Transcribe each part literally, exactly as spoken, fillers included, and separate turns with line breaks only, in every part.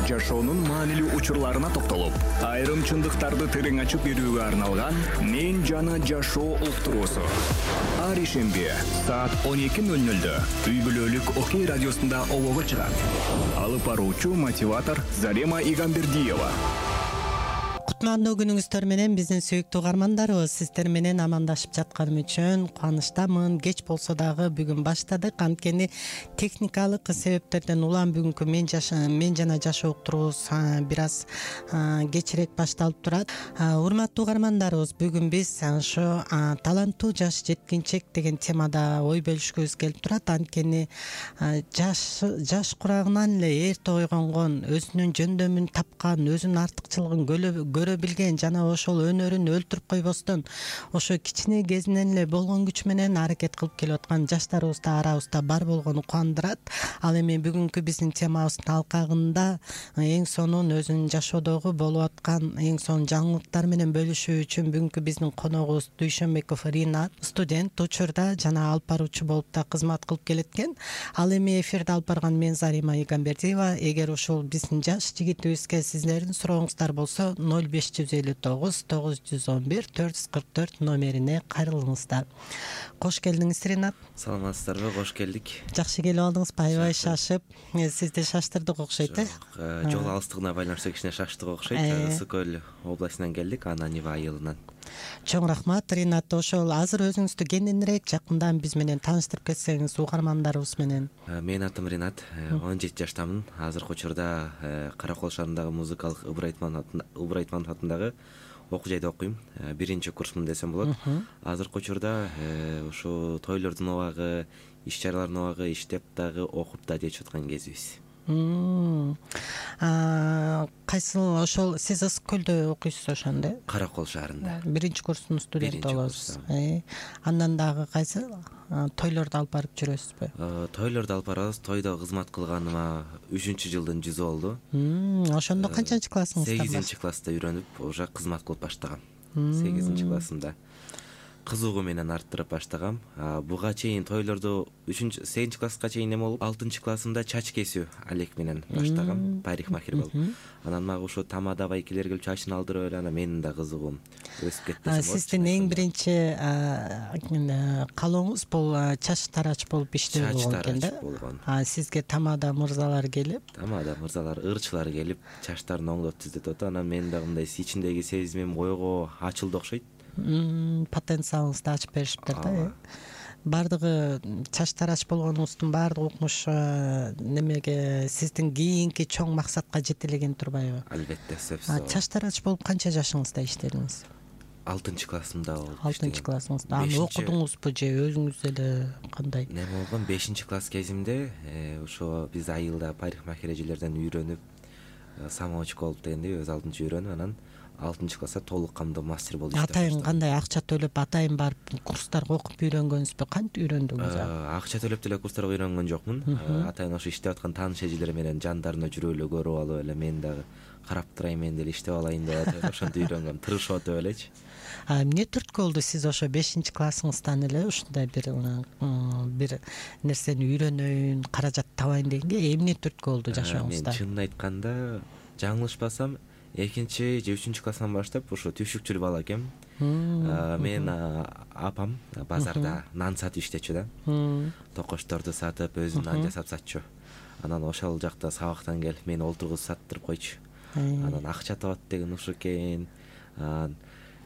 жашоонун маанилүү учурларына токтолуп, айрым чындыктарды терең ачып берүүгө арналган «Мен жана жашоо» уктуруусу. Ар ишемби саат он эки ноль нольдө үй бүлөлүк Окей радиосунда обого чыгат. Алып баруучу мотиватор Зарема Игамбердиева.
Кутмандуу күнүңүздөр менен биздин сүйүктүү угармандарыбыз, сиздер менен амандашып жатканым үчүн кубанычтамын. Кеч болсо дагы бүгүн баштадык. Анткени техникалык себептерден улам бүгүнкү мен жаша мен жана жашоо уктуруубуз бир аз кечирээк башталып турат. Урматтуу угармандарыбыз, бүгүн биз ошо таланттуу жаш жеткинчек деген темада ой бөлүшкүбүз келип турат. Анткени жаш жаш курагынан эле эрте ойгонгон, өзүнүн жөндөмүн тапкан, өзүнүн артыкчылыгын көрө билген жана ошол өнөрүн өлтүрүп койбостон ошо кичине кезинен эле болгон күч менен аракет кылып келип аткан жаштарыбыз да арабызда бар болгону кубандырат. Ал эми бүгүнкү биздин темабыздын алкагында эң сонун өзүнүн жашоодогу болуп аткан эң сонун жаңылыктар менен бөлүшүү үчүн бүгүнкү биздин коногубуз Дүйшөнбеков Ринат, студент, учурда жана алып баруучу болуп да кызмат кылып келеткен. Ал эми эфирде алып барган мен Зарема Игамбердиева. Эгер ушул биздин жаш жигитибизге сиздердин сурооңуздар болсо ноль беш жүз элүү тогуз тогуз жүз он бир төрт жүз кырк төрт номерине кайрылыңыздар. Кош келдиңиз, Ринат.
Саламатсыздарбы? Кош келдик.
Жакшы келип алдыңызбы? Аябай шашып, сизди шаштырдык окшойт, э?
Жол алыстыгына байланыштуу кичине шаштык окшойт. Ысык көл областынан келдик, Ананева айылынан.
Чоң рахмат, Ринат. Ошол азыр өзүңүздү кененирээк жакындан биз менен тааныштырып кетсеңиз угармандарыбыз менен.
Менин атым Ринат, он жети жаштамын. Азыркы учурда Каракол шаарындагы музыкалык Ыбыр Айтманов атындагы окуу жайда окуйм. Биринчи курсмун десем болот. Азыркы учурда ушу тойлордун убагы, иш чаралардын убагы иштеп дагы окуп да жечип аткан кезибиз.
Кайсыл ошол сиз Ысык көлдө окуйсуз ошондо?
Каракол шаарында.
Биринчи курстун студенти болосуз. Андан дагы кайсы тойлорду алып барып жүрөсүзбү?
Тойлорду алып барабыз. Тойдо кызмат кылганыма үчүнчү жылдын жүзү болду.
Ошондо канчанчы классыңызда?
сегизинчи класста үйрөнүп, уже кызмат кылып баштагам. сегизинчи классымда. Кызыгуу менен арттырып баштагам. Буга чейин тойлорду үчүнчү сегизинчи класска чейин эме болуп, алтынчы классымда чач кесүү алек менен баштагам, парикмахер болуп. Анан мага ушу тамада байкелер келип чачын алдырып эле, анан менин да кызыгуум өсүп кетти.
Сиздин эң биринчи каалооңуз бул чач тарач болуп иштөө болгон экен да?
болгон.
Сизге тамада мырзалар келип,
тамада мырзалар, ырчылар келип, чачтарын оңдоп түзөтүп атат. Анан мен дагы мындай ичиндеги сезимим ойго ачылды окшойт.
Потенциалыңызды ачып беришиптир да. Бардыгы чач тарач болгонуңуздун баардык укмуш немеге сиздин кийинки чоң максатка жетелеген турбайбы?
Албетте, сөзсүз.
Чач тарач болуп канча жашыңызда иштедиңиз?
алтынчы классымда болуп.
алтынчы классыңызда. Аны окудуңузбу же өзүңүз эле кандай?
Неме болгон, бешинчи класс кезимде ошо биз айылда парикмахер эжелерден үйрөнүп, самоучка болуп дегендей өз алдынча үйрөнүп, анан алтынчы класста толук камдуу мастер болуп иштеп баштадым.
Атайын кандай акча төлөп, атайын барып курстарга окуп үйрөнгөнсүзбү? Кантип үйрөндүңүз?
Акча төлөп деле курстарга үйрөнгөн жокмун. Атайын ошо иштеп аткан тааныш эжелер менен жандарына жүрүп эле көрүп алып эле мен дагы карап турайын, мен деле иштеп алайын деп атып ошентип үйрөнгөм, тырышып атып элечи.
Эмне түрткү болду сиз ошо бешинчи классыңыздан эле ушундай бир бир нерсени үйрөнөйүн, каражат табайын дегенге эмне түрткү болду жашооңузда?
Мен чынын айтканда, жаңылышпасам экинчи же үчүнчү класстан баштап ушу түшүкчүл бала экем. Мен апам базарда нан сатып иштечү да. Токочторду сатып, өзү нан жасап сатчу. Анан ошол жакта сабактан келип мени олтургузуп саттырып койчу. Анан акча табат деген ушул экен.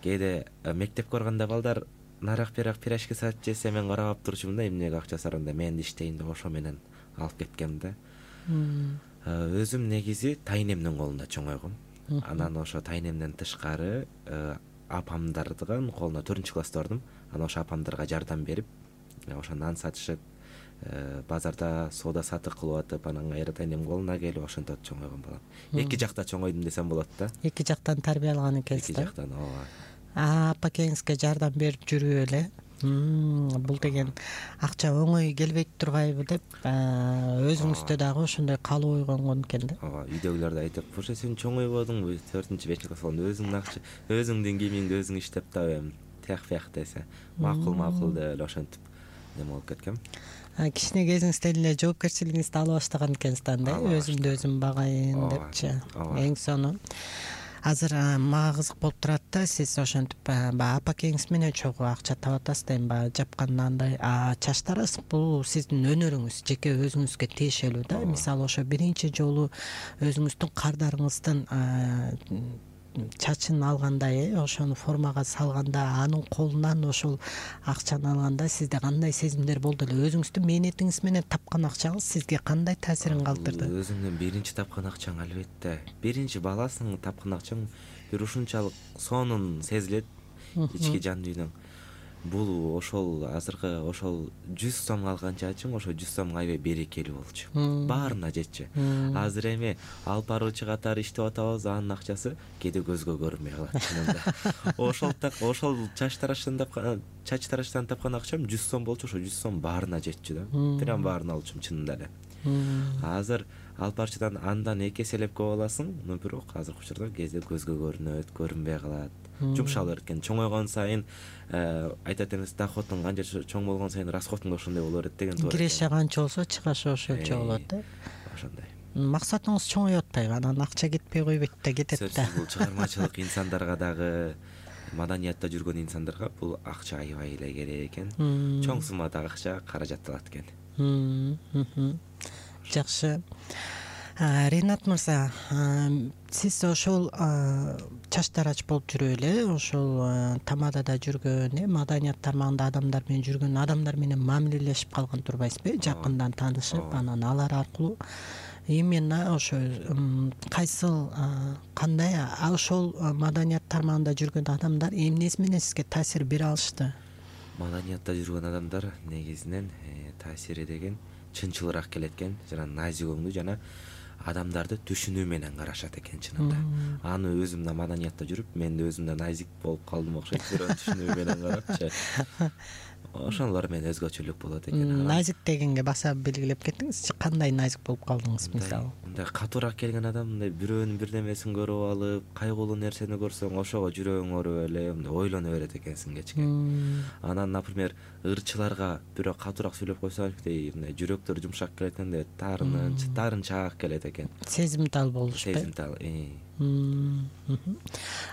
Кээде мектепке барганда балдар нарак берак пирожки сатып жесе, мен карап турчумун да, эмнеге акча сараңда мен да иштейин деп ошо менен алып кеткем да. Өзүм негизи тайнемдин колунда чоңойгом. Анан ошо тайнемден тышкары апамдардын колуна төртүнчү класста бардым. Анан ошо апамдарга жардам берип, ошо нан сатышып, базарда соода сатык кылып атып, анан кайра тайнем колуна келип ошентип чоңойгон балам. Эки жакта чоңойдум десем болот да.
Эки жактан тарбия алган экенсиз да?
Эки жактан, ооба.
Апа экеңизге жардам берип жүрүп эле. Бул деген акча оңой келбейт турбайбы деп өзүңүздө дагы ошондой каалоо ойгонгон экен да.
Ооба, үйдөгүлөр да айтып, "Ошо сен чоңойбодуңбу? төртүнчү бешинчи класс болгондо өзүңдүн акча, өзүңдүн кийимиңди өзүң иштеп табем." Тияк бияк десе, макул макул деп эле ошентип неме болуп кеткем.
кичине кезиңизде эле жоопкерчилигиңизди ала баштаган экенсиз да, өзүмдү өзүм багайын депчи. Эң сонун. Азыр мага кызык болуп турат да, сиз ошентип баягы апакеңиз менен чогуу акча таап атасыз да, эми баягы жапканандай чач тарасык бул сиздин өнөрүңүз, жеке өзүңүзгө тиешелүү да. Мисалы ошо биринчи жолу өзүңүздүн кардарыңыздын чачын алганда, ошону формага салганда, анын колунан ошол акчаны алганда сизде кандай сезимдер болду эле? Өзүңүздүн мээнетиңиз менен тапкан акчаңыз сизге кандай таасирин калтырды?
Өзүңдүн биринчи тапкан акчаң албетте, биринчи баласың тапкан акчаң бир ушунчалык сонун сезилет ички жан дүйнөң. Бул ошол азыркы ошол жүз сомго алган чачың ошо жүз сомго аябай берекелүү болчу. Баарына жетчү. Азыр эми алып баруучу катары иштеп атабыз, анын акчасы кээде көзгө көрүнбөй калат чынында. Ошол так ошол чач тарашдан тапкан чач тарашдан тапкан акчам жүз сом болчу, ошо жүз сом баарына жетчү да. Прям баарын алчумун чынында эле. Азыр алып барчыдан андан эки эселеп көп аласың, но бирок азыркы учурда кээде көзгө көрүнөт, көрүнбөй калат. Жумшалып эркен. Чоңойгон сайын айтат эмес, доходуң канча чоң болгон сайын расходуң да ошондой боло берет деген туура.
Киреше канча болсо, чыгашы ошончо болот да.
Ошондой.
Максатыңыз чоңоюп атпайбы? Анан акча кетпей койбойт да, кетет да.
Сөзсүз бул чыгармачылык инсандарга дагы, маданиятта жүргөн инсандарга бул акча аябай эле керек экен. Чоң суммадагы акча каражатталат экен.
Жакшы. Ринат мырза, сиз ошол чач тарач болуп жүрүп эле ошол тамадада жүргөн, маданият тармагында адамдар менен жүргөн адамдар менен мамилелешип калган турбайсызбы? Жакындан таанышып, анан алар аркылуу именно ошо кайсыл кандай ошол маданият тармагында жүргөн адамдар эмнеси менен сизге таасир бере алышты?
Маданиятта жүргөн адамдар негизинен таасири деген чынчылыраак келет экен, жана назигөңдүү жана адамдарды түшүнүү менен карашат экен чынында. Аны өзүм да маданиятта жүрүп, мен да өзүм да назик болуп калдым окшойт, бирөө түшүнүү менен карапчы. Ошолор менен өзгөчөлүк болот экен.
Назик дегенге баса белгилеп кеттиңизчи, кандай назик болуп калдыңыз мисалы?
Мындай катуураак келген адам мындай бирөөнүн бирдемесин көрүп алып, кайгылуу нерсени көрсөң, ошого жүрөгүң ооруп эле мындай ойлоно берет экенсиң кечке. Анан, например, ырчыларга бирөө катуураак сүйлөп койсо, мындай жүрөктөр жумшак келет экен да, таарынча, таарынчаак келет экен.
Сезимтал болушпу?
Сезимтал.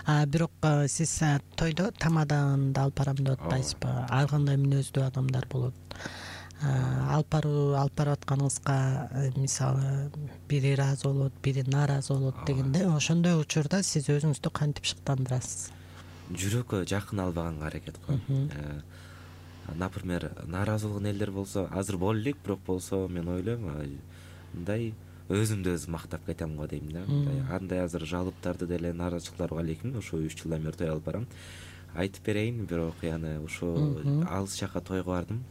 А бирок сиз тойдо тамаданды алып барам деп атпайсызбы? Ар кандай мүнөздүү адамдар болот. Алып баруу алып барып атканыңызга мисалы бири ыраазы болот, бири нааразы болот дегенде, ошондой учурда сиз өзүңүздү кантип шыктандырасыз?
Жүрөккө жакын албаганга аракет кылам. Например, нааразы болгон элдер болсо, азыр боло элек, бирок болсо мен ойлойм, мындай өзүмдү өзүм мактап кетем го дейм да. Андай азыр жалыптарды деле, нааразычылыктар бар экен, ошо үч жылдан бери той алып барам. Айтып берейин, бир окуяны. Ошо алыс жака тойго бардым.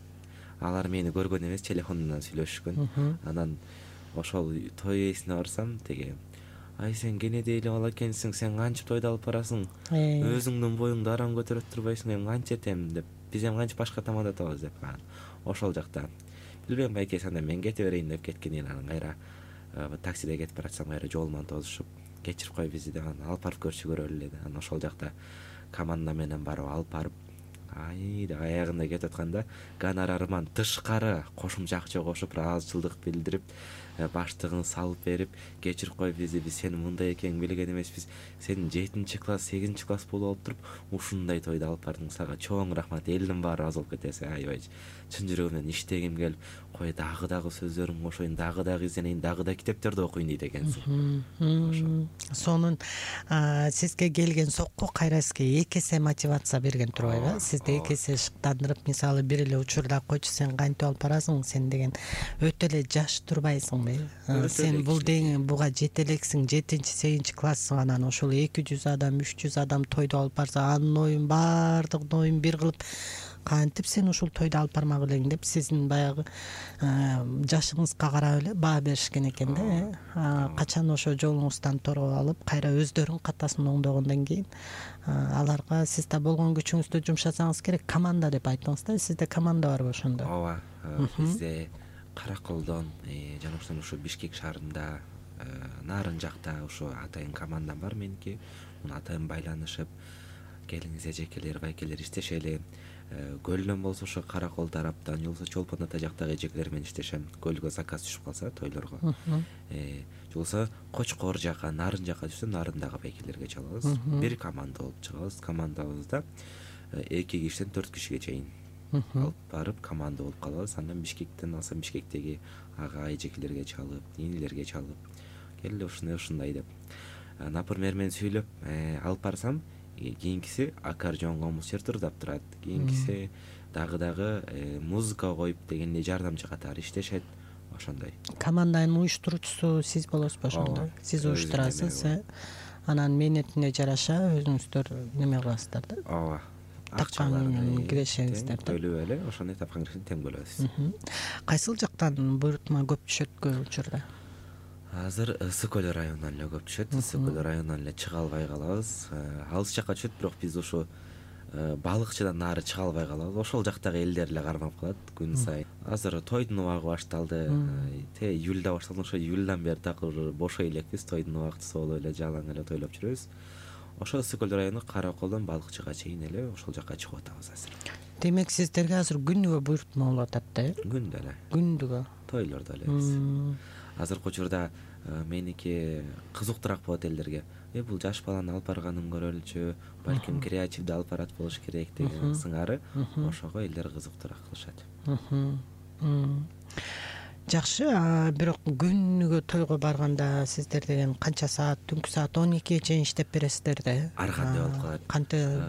Алар мени көргөн эмес, телефондон сүйлөшүшкөн. Анан ошол той ээсине барсам, теге ай сен кенеде эле бала экенсиң, сен кантип тойду алып барасың? Өзүңдүн боюңду арам көтөрөт турбайсың, эми кантип этем деп. Биз эми кантип башка тамада атабыз деп. Ошол жакта билбейм, байке анда мен кете берейин деп кеткен эл. Анан кайра таксиде кетип баратсам, кайра жолуман тосушуп, кечирип кой бизди деп, анан алып барып көрчү көрөлү эле. Анан ошол жакта команда менен барып алып барып, ай деп аягында кетип атканда, гонорарыман тышкары кошумча акча кошуп, ыраазычылдык билдирип, баштыгын салып берип, кечирип кой бизди, биз сени мындай экенин билген эмеспиз, сен жетинчи класс, сегизинчи класс болуп алып туруп, ушундай тойду алып бардың, сага чоң рахмат, элдин баары разы болуп кетеси. Аябай чын жүрөгүмөн иштегим келип, кой дагы дагы сөздөрүм кошоюн, дагы дагы изденейин, дагы да китептерди окуйн дейт экенсиң.
Сонун сизге келген сокку кайра сизге эки эсе мотивация берген турбайбы? Сизди эки эсе шыктандырып, мисалы бир эле учурда койчу сен кантип алып барасың, сен деген өтө эле жаш турбайсың. Сен бул деген буга жете элексиң, жетинчи сегизинчи классың, анан ошол эки жүз адам, үч жүз адам тойду алып барса, анын оюн баардыгынын оюн бир кылып, кантип сен ушул тойду алып бармак элең деп сиздин баягы жашыңызга карап эле баа беришкен экен да. Качан ошо жолуңуздан торгоп алып, кайра өздөрүнүн катасын оңдогондон кийин аларга сиз да болгон күчүңүздү жумшасаңыз керек. Команда деп айттыңыз да, сизде команда барбы ошондо?
Ооба, бизде Караколдон жана ошон ошо Бишкек шаарында, нарын жакта ошо атайын командам бар меники. Муну атайын байланышып, келиңиз эжекелер, байкелер иштешели. көлдөн болсо ошо Каракол тараптан же болбосо Чолпон ата жактагы эжекелер менен иштешем. Көлгө заказ түшүп калса тойлорго. Же болбосо Кочкор жака, Нарын жака түшсө Нарындагы байкелерге чалабыз. Бир команда болуп чыгабыз. Командабызда эки кишиден төрт кишиге чейин алып барып команда болуп калабыз. Андан Бишкектен алсам Бишкектеги ага эжекелерге чалып, инилерге чалып, келе ушундай ушундай деп. Например, мен сүйлөп алып барсам, кийинкиси аккордеон комуз чертурдап турат. Кийинкиси дагы дагы музыка коюп дегенде жардамчы катары иштешет. Ошондой.
Команданын уюштуруучусу сиз болосузбу ошондо? Сиз уюштурасыз, анан мээнетине жараша өзүңүздөр неме кыласыздар да?
Ооба.
Тапкан кирешеңиздер да.
Төлөп эле ошондой тапкан кирешин тең бөлөбүз.
Кайсыл жактан буйрутма көп түшөт көп учурда?
Азыр Ысык көл районунан эле көп түшөт. Ысык көл районунан эле чыга албай калабыз. Алыс жакка түшөт, бирок биз ушу балыкчыдан нары чыга албай калабыз. Ошол жактагы элдер эле кармап калат күн сайын. Азыр тойдун убагы башталды. Те июлда башталды. Ошо июлдан бери такыр бошой элекпиз. Тойдун убактысы болуп эле жалаң эле тойлоп жүрөбүз. Ошо Ысык көл району Караколдон Балыкчыга чейин эле ошол жакка чыгып атабыз азыр. Демек
сиздерге азыр күнүгө буйрутма болуп атат да, э?
Күндө эле.
Күндүгө.
Тойлордо эле. Азыркы учурда меники кызыктуураак болот элдерге. Э бул жаш баланы алып барганын көрөлүчү, балким креативдүү алып барат болуш керек деген сыңары. Ошого элдер кызыктуураак кылышат.
Жакшы, бирок күнүгө тойго барганда сиздер деген канча саат, түнкү саат он экиге чейин иштеп бересиздер да?
Ар кандай болуп калат.
Кантип?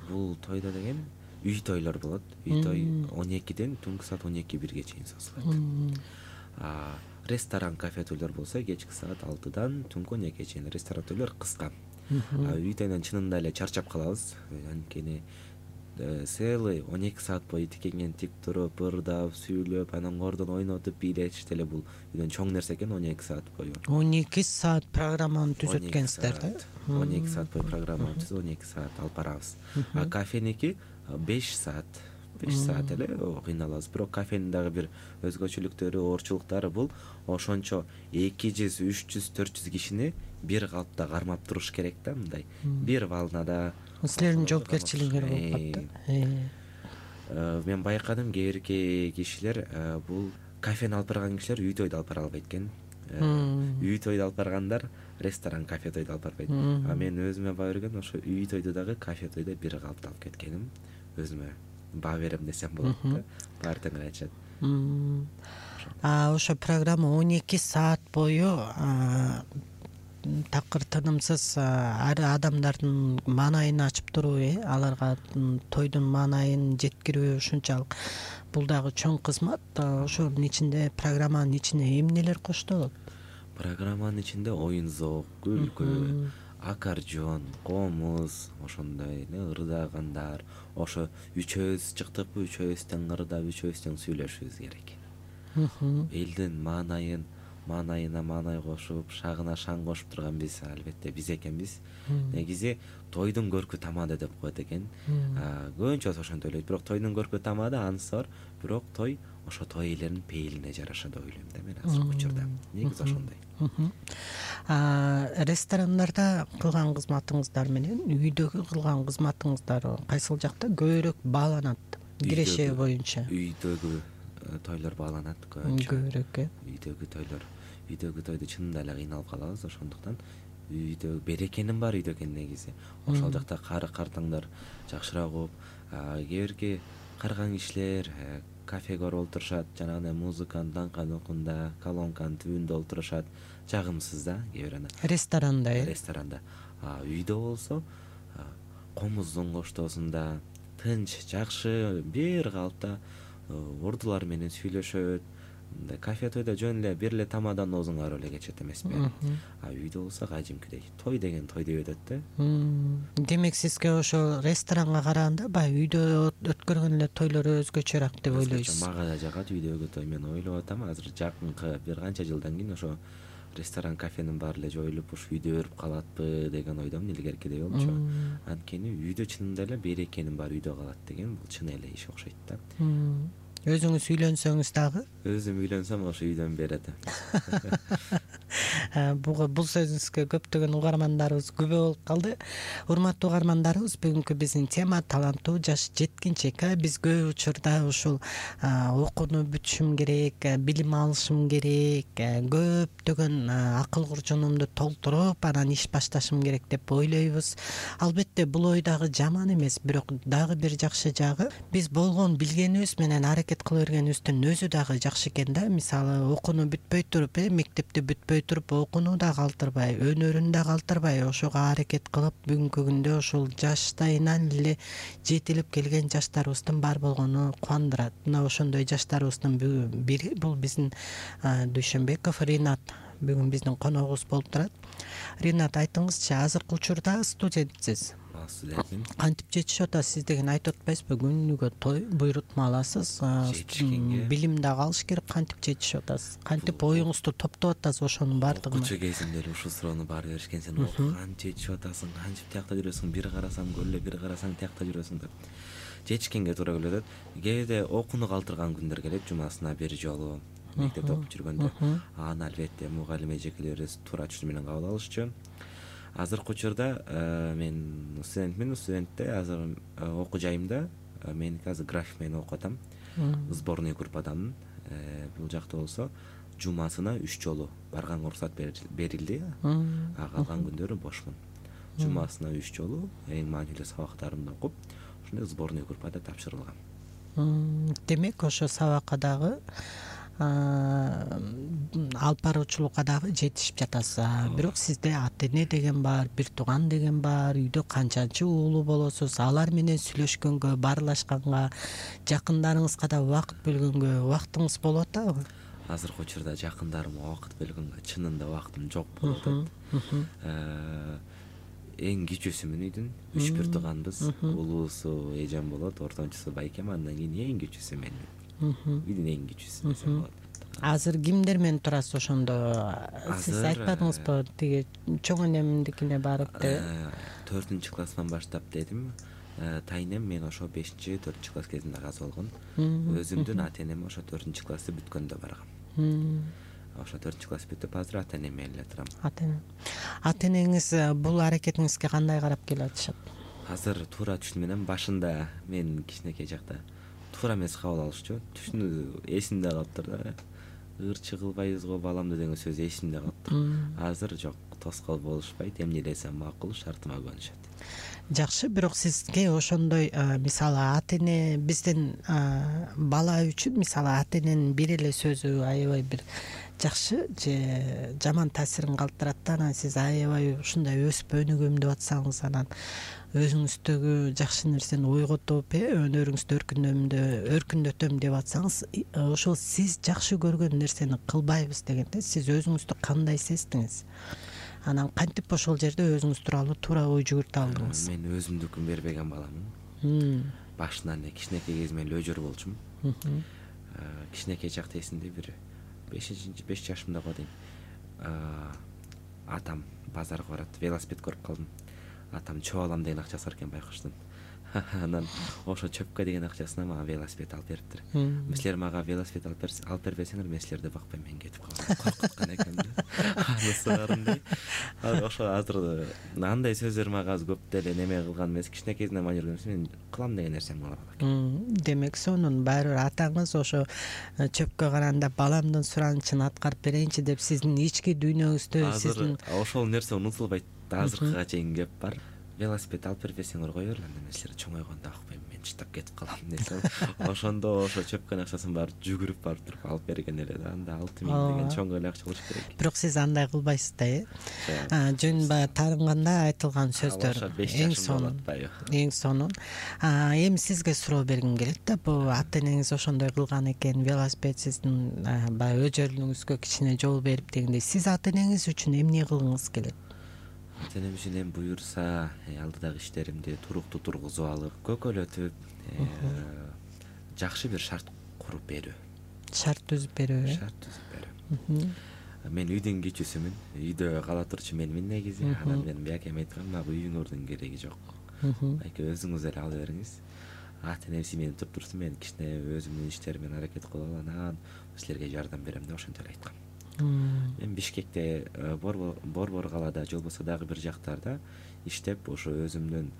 Бул тойдо деген үй тойлор болот. Үй той он экиден түнкү саат он эки бирге чейин созулат. Ресторан, кафе тойлор болсо кечки саат алтыдан түнкү он экиге чейин. Ресторан тойлор кыска. Үй тойдон чынында эле чарчап калабыз. Анткени целый он эки саат бою тикенген тик туруп, ырдап, сүйлөп, анан кордон ойнотуп, бийлетиш деле бул үйдөн чоң нерсе экен. он эки саат бою.
он эки саат программаны түзөт экенсиздер да?
он эки саат бою программаны түзүп, он эки саат алып барабыз. А кафеники беш саат. беш саат эле кыйналабыз. Бирок кафенин дагы бир өзгөчөлүктөрү, оорчулуктары бул ошончо эки жүз, үч жүз, төрт жүз кишини бир калыпта кармап туруш керек да, мындай. Бир волнада.
Силердин жоопкерчилигиңер болуп калат да.
Мен байкадым, кээ бирки кишилер бул кафени алып барган кишилер үй тойду алып бара албайт экен. Үй тойду алып баргандар ресторан, кафе тойду алып барбайт. А мен өзүмө баа берген ошо үй тойду дагы кафе тойду бир калыпта алып кеткеним. Өзүмө баа берем десем болот да. Баары тең айтышат.
А ошо программа он эки саат бою такыр тынымсыз адамдардын маанайын ачып туруп, э, аларга тойдун маанайын жеткирүү ушунчалык бул дагы чоң кызмат. Ошонун ичинде, программанын ичине эмнелер коштолот?
Программанын ичинде оюн зоок, күлкү, аккордеон, комуз, ошондой эле ырдагандар. Ошо үчөөбүз чыктыкпы, үчөөбүз тең ырдап, үчөөбүз тең сүйлөшүбүз керек. Элдин маанайын маанайына маанай кошуп, шагына шаң кошуп турган биз албетте биз экенбиз. Негизи тойдун көркү тамады деп коет экен. Көбүнчөсү ошентип ойлойт. Бирок тойдун көркү тамады анысы бар. Бирок той ошо той ээлеринин пейилине жараша деп ойлойм да мен азыркы учурда. Негизи ошондой.
Ресторандарда кылган кызматыңыздар менен үйдөгү кылган кызматыңыздар кайсыл жакта көбүрөөк бааланат? Киреше боюнча.
Үйдөгү тойлор бааланат көбүнчө.
Көбүрөөк, э?
Үйдөгү тойлор. Үйдөгү тойду чынында эле кыйналып калабыз, ошондуктан үйдө берекенин бар үйдө экен негизи. Ошол жакта кары картаңдар жакшыраак угуп, кээ бирки карган кишилер кафеге барып отурушат, жанагындай музыканын даңканыкында, колонканын түбүндө отурушат. Жагымсыз да, кээ бир ана.
Ресторанда, э?
Ресторанда. А үйдө болсо комуздун коштоосунда тынч, жакшы, бир калыпта ордулар менен сүйлөшөт. Кафе тойдо жөн эле бир эле тамадан оозуң аарып эле кечет эмеспи? А үйдө болсо кадимкидей той деген той деп өтөт да.
Демек сизге ошо ресторанга караганда баягы үйдө өткөргөн эле тойлор өзгөчөрөөк деп ойлойсуз?
Мага да жагат үйдөгү той. Мен ойлоп атам, азыр жакынкы бир канча жылдан кийин ошо ресторан, кафенин баары эле жоюлуп, ушу үйдө өрүп калатпы деген ойдомун илгеркидей болчу. Анткени үйдө чынында эле берекенин баары үйдө калат деген бул чын эле иш окшойт да.
өзүңүз үйлөнсөңүз дагы?
Өзүм үйлөнсөм ошо үйдөн берет.
Буга бул сөзүңүзгө көптөгөн угармандарыбыз күбө болуп калды. Урматтуу угармандарыбыз, бүгүнкү биздин тема таланттуу жаш жеткинчек. Биз көп учурда ушул окууну бүтүшүм керек, билим алышым керек, көптөгөн акыл куржунумду толтуруп, анан иш башташым керек деп ойлойбуз. Албетте бул ой дагы жаман эмес, бирок дагы бир жакшы жагы биз болгон билгенибиз менен аракет кыла бергенибиздин өзү дагы жакшы экен да. Мисалы, окууну бүтпөй туруп, э мектепти бүтпөй туруп, окууну да калтырбай, өнөрүн да калтырбай, ошого аракет кылып, бүгүнкү күндө ушул жаштайынан эле жетилип келген жаштарыбыздын бар болгону кубандырат. Мына ошондой жаштарыбыздын бири бул биздин Дүйшөнбеков Ринат, бүгүн биздин коногубуз болуп турат. Ринат, айтыңызчы, азыркы учурда студентсиз.
Студентмин.
Кантип жетишип атасыз сиз деген айтып атпайсызбы? Күнүгө той буйрутма аласыз, билим дагы алыш керек. Кантип жетишип атасыз? Кантип оюңузду топтоп атасыз ошонун баардыгын?
Окуучу кезимде эле ушул суроону баары беришкен. Сен окуган жетишип атасың, кантип тиякта жүрөсүң, бир карасаң көлө, бир карасаң тиякта жүрөсүң деп. Жетишкенге туура келип атат. Кээде окууну калтырган күндөр келет, жумасына бир жолу. Мектепте окуп жүргөндө аны албетте мугалим эжекелерибиз туура түшүнүү менен кабыл алышчу. Азыркы учурда мен студентмин. Студентте азыр окуу жайымда меники азыр график менен окуп атам. Сборный группадамын. Бул жакта болсо жумасына үч жолу барганга уруксат берилди. А калган күндөрү бошмун. Жумасына үч жолу эң маанилүү сабактарымды окуп, ошондой сборный группада тапшырылгам.
Демек, ошо сабакка дагы, алып баруучулукка дагы жетишип жатасыз. Бирок сизде ата-эне деген бар, бир тууган деген бар, үйдө канчанчы уулу болосуз? Алар менен сүйлөшкөнгө, баарлашканга, жакындарыңызга да убакыт бөлгөнгө убактыңыз болуп атабы?
Азыркы учурда жакындарыма убакыт бөлгөнгө чынында убактым жок болуп атат. Эң кичүүсүмүн үйдүн, үч бир тууганбыз. Улуусу эжем болот, ортончусу байкем, андан кийин эң кичүүсү менмин. Үйдүн эң кичүүсү десем болот.
Азыр кимдер менен турасыз ошондо? Сиз айтпадыңызбы, тиги чоң энемдикине барып деп?
төртүнчү класстан баштап дедим. Тайнем мен ошо бешинчи төртүнчү класс кезинде каза болгон. Өзүмдүн ата-энем ошо төртүнчү классты бүткөндө баргам. Ошо төртүнчү класс бүтүп, азыр ата-энем менен эле турам.
Ата-эне. Ата-энеңиз бул аракетиңизге кандай карап келип атышат?
Азыр туура түшүнүү менен башында мен кичинекей жакта туура эмес кабыл алышчу. Түшүнүү эсимде калыптыр да. Ырчы кылбайбыз го баламды деген сөз эсимде калыптыр. Азыр жок, тоскоол болушпайт, эмне десем макул, шартыма көнүшөт.
Жакшы, бирок сизге ошондой, мисалы, ата-эне биздин бала үчүн, мисалы, ата-эненин бир эле сөзү аябай бир жакшы же жаман таасирин калтырат да. Анан сиз аябай ушундай өсүп өнүгөм деп атсаңыз, анан өзүңүздөгү жакшы нерсени ойготуп, өнөрүңүздү өркүндөтөм деп атсаңыз, ошол сиз жакшы көргөн нерсени кылбайбыз дегенде сиз өзүңүздү кандай сездиңиз? Анан кантип ошол жерде өзүңүз тууралуу туура ой жүгүртө алдыңыз?
Мен өзүмдүкүн бербеген баламын. Башынан эле кичинекей кезимден эле өжөр болчумун. Кичинекей чакта эсимде бир бешинчи беш жашымдага дейм. Атам базарга барат, велосипед көрүп калдым. Атам чөп алам деген акчасы бар экен байкоштон. Анан ошо чөпкө деген акчасына мага велосипед алып бериптир. Силер мага велосипед алып бербесеңер, мен силерди бакпайм, мен кетип калам. Коркуткан экенмин. Анысы барымды. Ошо азыр андай сөздөр мага аз көп деле неме кылган эмес. Кичинекейден мага жүргөн мен кылам деген нерсем кыла алам.
Демек, сонун баары бир атаңыз ошо чөпкө караганда баламдын суранычын аткарып берейинчи деп сиздин ички дүйнөңүздө сиздин
ошол нерсе унутулбайт. Азыркыга чейин кеп бар. Велосипед алып бербесеңер кое бер, анда мен силерди чоңойгондо акпайм, мен чыттап кетип калам десем. Ошондо ошо чөпкөнүн акчасын барып жүгүрүп барып туруп алып берген эле да. Анда алты миң деген чоң эле акча болуш керек.
Бирок сиз андай кылбайсыз да, э? Жөн баягы таарынганда айтылган сөздөр эң сонун. Эң сонун. Эми сизге суроо бергим келет да. Бул ата-энеңиз ошондой кылган экен, велосипед сиздин баягы өжөрлүгүңүзгө кичине жол берип дегендей, сиз ата-энеңиз үчүн эмне кылгыңыз келет?
Ата-энем үчүн эми буюрса, алдыдагы иштеримди туруктуу тургузуп алып, көкөлөтүп, жакшы бир шарт куруп берүү.
Шарт түзүп берүү.
Шарт түзүп берүү. Мен үйдүн кичүүсүмүн. Үйдө кала турчу менмин негизи. Анан мен байкем айткам, мага үйүңөрдүн кереги жок. Байке өзүңүз эле ала бериңиз. ата энем мени туруп турсун, мен кичине өзүмдүн иштерим менен аракет кылып анан силерге жардам берем деп ошентип эле айткам. Мен Бишкекте, Борбор калаада же болбосо дагы бир жактарда иштеп, ошо өзүмдүн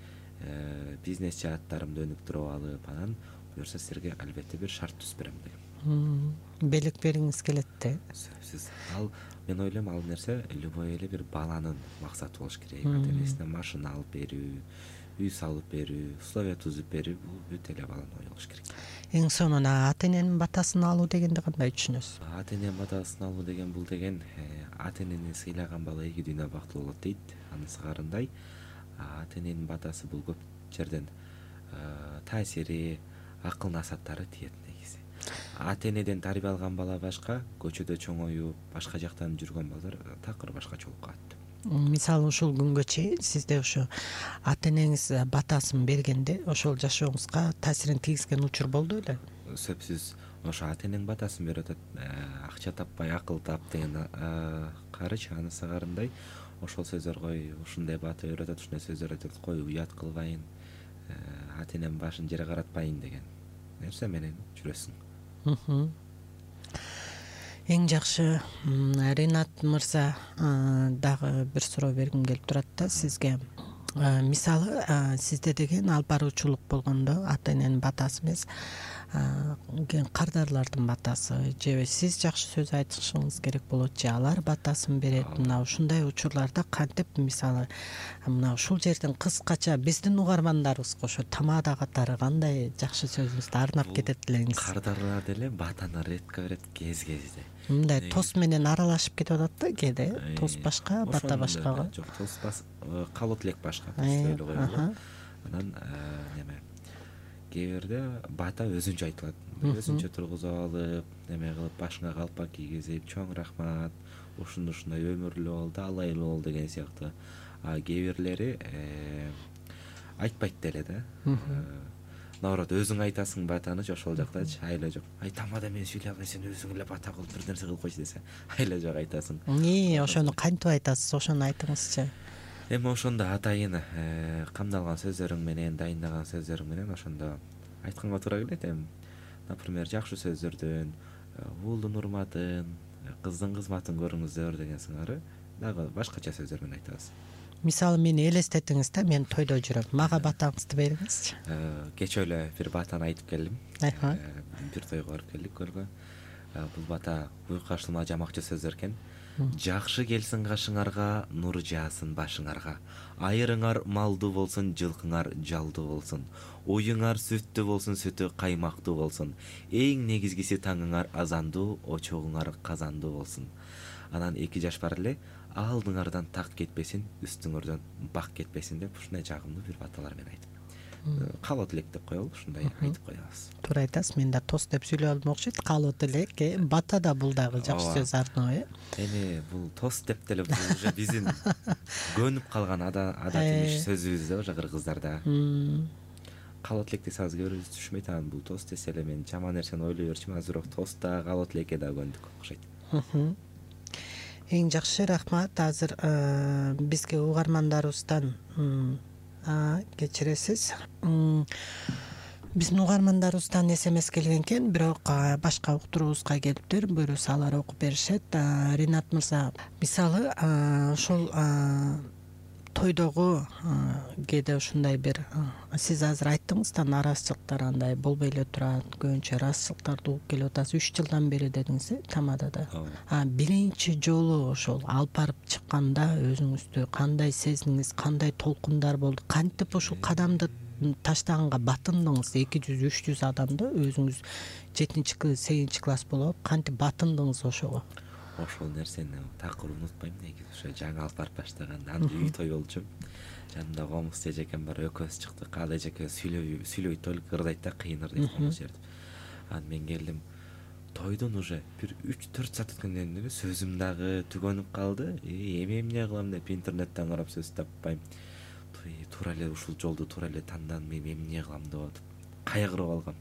бизнес жааттарымды өнүктүрүп алып, анан буюрса силерге албетте бир шарт түзүп берем дегем.
Белек бергиңиз келет да?
Сөзсүз. Ал мен ойлойм, ал нерсе любой эле бир баланын максаты болуш керек. Ата энесине машина алып берүү, үй салып берүү, условия түзүп берүү, бул бүт эле баланын ою болуш керек.
Эң сонуна ата эненин батасын алуу дегенди кандай түшүнөсүз?
Ата эненин батасын алуу деген бул деген ата энени сыйлаган бала эки дүйнө бактылуу болот дейт. Анысы карындай. Ата эненин батасы бул көп жерден таасири, акыл насааттары тиет негизи. Ата энеден тарбия алган бала башка, көчөдө чоңоюп, башка жактан жүргөн балдар такыр башкача болуп калат.
Мисалы ушул күнгө чейин сизде ошо ата энеңиз батасын бергенде ошол жашооңузга таасирин тийгизген учур болду беле?
Сөзсүз. Ошо ата энең батасын берип атат, акча таппай акыл тап деген карыч, анысы карындай. Ошол сөздөр кой, ушундай бата берип атат, ушундай сөздөр айтат, кой уят кылбайын, ата энем башын жерге каратпайын деген нерсе менен жүрөсүң.
Эң жакшы, Ринат мырза, дагы бир суроо бергим келип турат да сизге. Мисалы, сизде деген алып баруучулук болгондо ата эненин батасы эмес, кардарлардын батасы же сиз жакшы сөз айтышыңыз керек болот же алар батасын берет. Мына ушундай учурларда кантип, мисалы, мына ушул жерден кыскача биздин угармандарыбызга ошо тамада катары кандай жакшы сөзүңүздү арнап кетет элеңиз?
Кардарлар деле батаны ретко берет кез-кезде.
Мындай тос менен аралашып кетип атат да кээде. Тос башка, бата башка.
Жок, тос калот элек башка. Анан неме кээ бирде бата өзүнчө айтылат. Өзүнчө тургузуп алып, неме кылып, башыңа калпак кийгизип, чоң рахмат, ушундай ушундай өмүрлүү бол, алайлуу бол деген сыяктуу. А кээ бирлери айтпайт деле да. Наоборот, өзүң айтасың батаны, ошол жактачы айла жок. Ай тамада мен сүйлөй албайм, сен өзүң эле бата кылып бир нерсе кылып койчу десе, айла жок айтасың.
Эмне, ошону кантип айтасыз? Ошону айтыңызчы.
Эми ошондо атайын камдалган сөздөрүң менен, дайындаган сөздөрүң менен ошондо айтканга туура келет. Эми, например, жакшы сөздөрдөн, уулдун урматын, кыздын кызматын көрүңүздөр деген сыңары дагы башкача сөздөр менен айтабыз.
Мисалы, мени элестетиңиз да, мен тойдо жүрөм. Мага батаңызды бериңизчи.
Кечээ эле бир батаны айтып келдим. Бир тойго барып келдик көлгө. Бул бата буйукка ашылма жамакчы сөздөр экен. Жакшы келсин кашыңарга, нур жаасын башыңарга. Айырыңар малдуу болсун, жылкыңар жалдуу болсун. Оюңар сүттүү болсун, сүтү каймактуу болсун. Эң негизгиси таңыңар азандуу, очогуңар казандуу болсун. Анан эки жаш бар эле, алдыңардан так кетпесин, үстүңөрдөн бак кетпесин деп ушундай жагымдуу бир баталар менен айтып. Калот элек деп коелу, ушундай айтып коебуз.
Туура айтасыз, мен да тос деп сүйлөп алдым окшойт. Калот элек, бата да бул дагы жакшы сөз арноо, э.
Эми бул тос деп деле бул уже биздин көнүп калган адат эмеш сөзүбүз да, уже кыргыздарда. Калот элек десе азыр кээ бирөөбүз түшүнбөйт, анан бул тос десе эле мен жаман нерсени ойлой берчүмүн, азыр бирок тос да, калот элекке да көндүк окшойт.
Эң жакшы, рахмат. Азыр бизге угармандарыбыздан кечиресиз. Биздин угармандарыбыздан эс эм эс келген экен, бирок башка уктуруубузга келиптир. Буюрса алар окуп беришет. Ринат мырза, мисалы, ошол тойдогу кээде ушундай бир, сиз азыр айттыңыз да, наразычылыктар андай болбой эле турат, көбүнчө ыраазычылыктарды угуп келип атасыз. Үч жылдан бери дедиңиз, э, тамадада. А биринчи жолу ошол алып барып чыкканда өзүңүздү кандай сездиңиз, кандай толкундар болду? Кантип ушул кадамды таштаганга батындыңыз? эки жүз үч жүз адамды өзүңүз жетинчи сегизинчи класс болуп кантип батындыңыз ошого?
Ошол нерсени такыр унутпайм негизи. Ошо жаңы алып барып баштаганда анда үй той болчу. Жанымда комуз эжекем бар, экөөбүз чыктык. Ал эжеке сүйлөй сүйлөй толук ырдайт да, кыйын ырдайт комуз жерди. Анан мен келдим. Тойдон уже бир үч төрт саат өткөндөн кийин сөзүм дагы түгөнүп калды. Эми эмне кылам деп интернеттен карап сөз таппайм. Туура эле ушул жолду туура эле тандан, мен эмне кылам деп атып кайгырып алгам.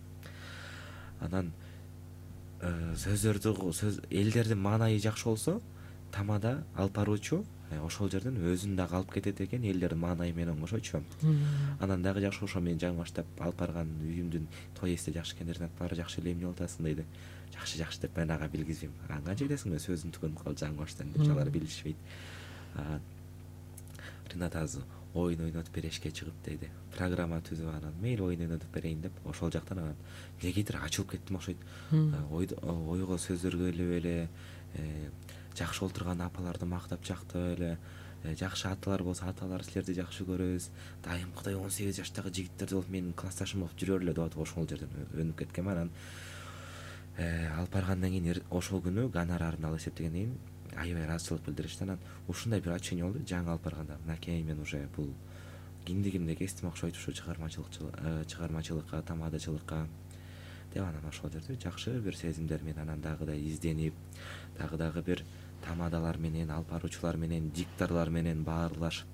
Анан сөздөрдү сөз элдердин маанайы жакшы болсо, тамада алып баруучу ошол жерден өзүн дагы алып кетет экен, элдердин маанайы менен кошочу. Анан дагы жакшы ошо мен жаңы баштап алып барган үйүмдүн той эсте жакшы экен, Ринат баары жакшы эле эмне болуп атасың дейди. Жакшы жакшы деп мен ага билгизбейм. Канча кетесиң мен сөзүм түгөнүп калды жаңы баштан деп алар билишпейт. Ринат азыр оюн ойнотуп берешке чыгып дейди. Программа түзүп анан мейли оюн ойнотуп берейин деп ошол жактан анан негедир ачылып кеттим окшойт. Ойго сөздөргө өлүп эле жакшы олтурган апаларды мактап жактып эле, жакшы аталар болсо аталар силерди жакшы көрөбүз. Дайымкыдай он сегиз жаштагы жигиттерди болуп менин классташым болуп жүрөрлү деп атып ошол жерден өнүп кеткем. Анан алып баргандан кийин ошол күнү гонорарын алып эсептегенден кийин аябай ыраазычылык билдиришти. Анан ушундай бир ачыйын болду жаңы алып барганда. Мынакей мен уже бул киндигимде кестим окшойт ушу чыгармачылык чыгармачылыкка, тамадачылыкка деп анан ошол жерде жакшы бир сезимдер менен анан дагы да изденип, дагы дагы бир тамадалар менен, алып баруучулар менен, дикторлор менен баарлашып,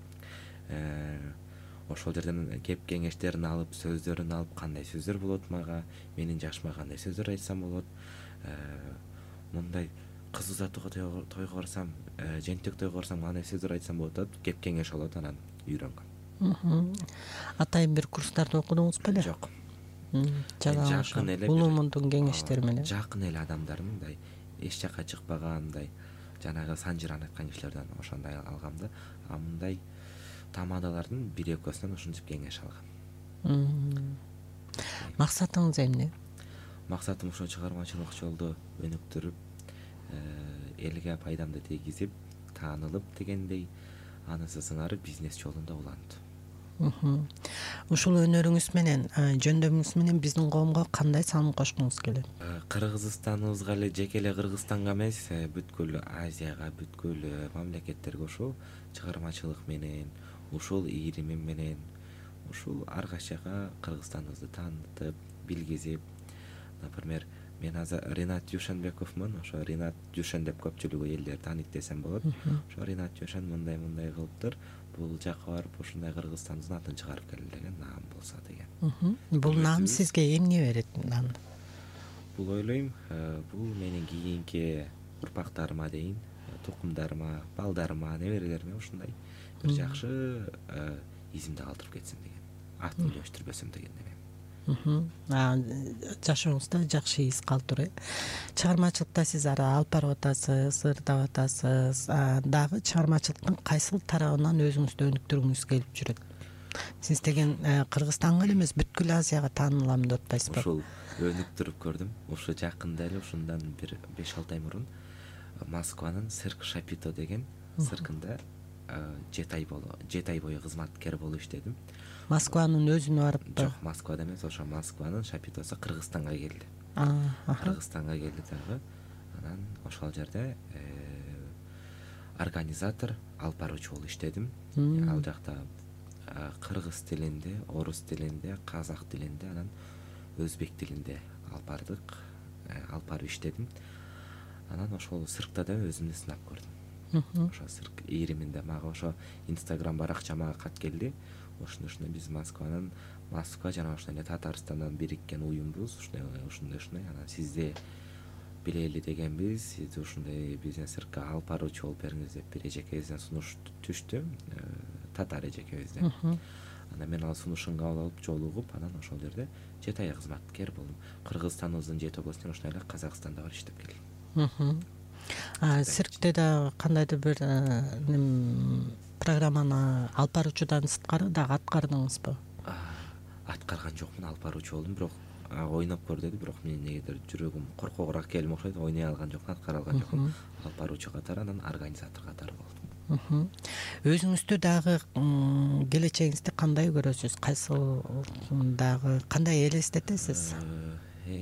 ошол жерден кеп кеңештерин алып, сөздөрүн алып, кандай сөздөр болот мага, менин жашыма кандай сөздөр айтсам болот, мындай кыз узатууга тойго барсам, жентек тойго барсам кандай сөздөр айтсам болот деп кеп кеңеш алат, анан үйрөнгөм. Атайын
бир курстарда окудуңуз беле?
Жок.
Жакын эле улумундун кеңештери менен.
Жакын эле адамдар мындай эч жака чыкпаган, мындай жанагы Санжиран айткан кишилерден ошондой алгам да. А мындай тамадалардын бир экөөсүнөн ушинтип кеңеш алгам.
Максатыңыз эмне?
Максатым ошо чыгармачылык жолдо өнүктүрүп, элге пайдамды тийгизип, таанылып дегендей, анысы сыңары бизнес жолунда уланды.
Ушул өнөрүңүз менен, жөндөмүңүз менен биздин коомго кандай салым кошкуңуз келет?
Кыргызстаныбызга эле, жеке эле Кыргызстанга эмес, бүткүл Азияга, бүткүл мамлекеттерге ушул чыгармачылык менен, ушул ийримим менен, ушул ар кайчага Кыргызстаныбызды таанытып, билгизип, например, мен азыр Ринат Дюшенбековмун. Ошо Ринат Дюшен деп көпчүлүгү элдер тааныйт десем болот. Ошо Ринат Дюшен мындай-мындай кылыптыр. Бул жакка барып ушундай Кыргызстандын атын чыгарып келди деген наам болсо деген.
Бул наам сизге эмне берет?
Бул ойлойм, бул менин кийинки урпактарыма дейин, тукумдарыма, балдарыма, неберелериме ушундай бир жакшы изимди калтырып кетсин деген. Атын өчтүрбөсөм деген неме.
Жашооңузда жакшы из калтыруу. Чыгармачылыкта сиз ары алып барып атасыз, ырдап атасыз. Дагы чыгармачылыктын кайсыл тарабынан өзүңүздү өнүктүргүңүз келип жүрөт? Сиз деген Кыргызстанга эле эмес, бүткүл Азияга таанылам деп атпайсызбы?
Ушул өнүктүрүп көрдүм. Ушу жакында эле, ушундан бир беш алты ай мурун Москванын Цирк Шапито деген циркинде жети ай болду. жети ай бою кызматкер болуп иштедим.
Москванын өзүнө барыппы?
Жок, Москвада эмес, ошо Москванын Шапитосу Кыргызстанга келди. Кыргызстанга келди дагы. Анан ошол жерде организатор, алып баруучу болуп иштедим. Ал жакта кыргыз тилинде, орус тилинде, казак тилинде, анан өзбек тилинде алып бардык, алып барып иштедим. Анан ошол циркта да өзүмдү сынап көрдүм. Ошо цирк ийриминде мага ошо Инстаграм баракчама кат келди. Ушундай биз Москванын, Москва жана ошондой эле Татарстандан бириккен уюмбуз, ушундай ушундай ушундай анан сизди билели дегенбиз, сизди ушундай бизнес циркке алып баруучу болуп бериңиз деп бир эжекебизден сунуш түштү, татар эжекебизден. Анан мен ал сунушун кабыл алып жолугуп, анан ошол жерде жети ай кызматкер болдум. Кыргызстаныбыздын жети областынан ошондой эле Казакстанда бар иштеп келдим.
Циркте да кандайдыр бир программаны алып баруучудан сырткары дагы аткардыңызбы?
Аткарган жокмун, алып баруучу болдум, бирок ойноп көр деди, бирок менин негедир жүрөгүм коркогураак келим окшойт, ойной алган жокмун, аткара алган жокмун. Алып баруучу катары, анан организатор катары болдум.
Өзүңүздү дагы келечегиңизди кандай көрөсүз? Кайсыл дагы кандай элестетесиз?